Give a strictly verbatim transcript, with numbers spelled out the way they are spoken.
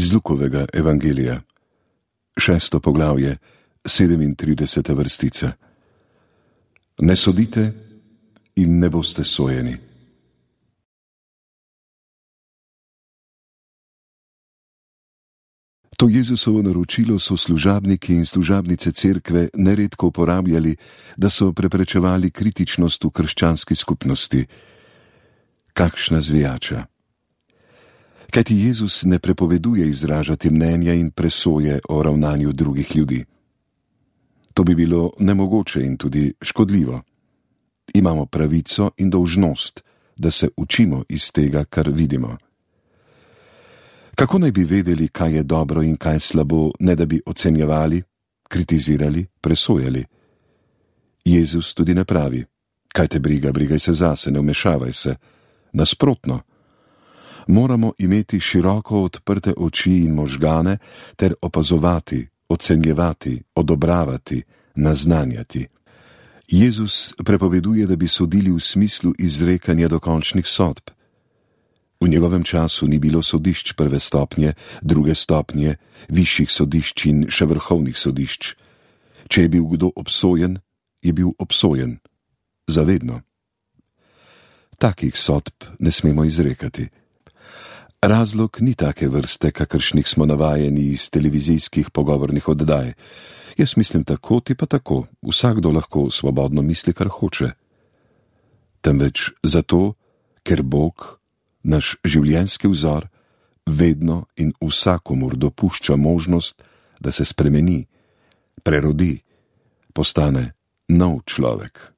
Iz Lukovega evangelija, šesto poglavje, sedemintrideseta vrstica. Ne sodite in ne boste sojeni. To Jezusovo naročilo so služabniki in služabnice cerkve neredko uporabljali, da so preprečevali kritičnost v krščanski skupnosti. Kakšna zvijača! Kajti Jezus ne prepoveduje izražati mnenja in presoje o ravnanju drugih ljudi. To bi bilo nemogoče in tudi škodljivo. Imamo pravico in dolžnost, da se učimo iz tega, kar vidimo. Kako naj bi vedeli, kaj je dobro in kaj slabo, ne da bi ocenjevali, kritizirali, presojali? Jezus tudi ne pravi: kaj te briga, brigaj se zase, ne vmešavaj se. Nasprotno, moramo imeti široko odprte oči in možgane ter opazovati, ocenjevati, odobravati, naznanjati. Jezus prepoveduje, da bi sodili v smislu izrekanja dokončnih sodb. V njegovem času ni bilo sodišč prve stopnje, druge stopnje, višjih sodišč in še vrhovnih sodišč. Če je bil kdo obsojen, je bil obsojen. Zavedno. Takih sodb ne smemo izrekati. Razlog ni take vrste, kakršnih smo navajeni iz televizijskih pogovornih oddaj. Jaz mislim tako, ti pa tako, vsakdo lahko svobodno misli, kar hoče. Temveč zato, ker Bog, naš življenjski vzor, vedno in vsakomur dopušča možnost, da se spremeni, prerodi, postane nov človek.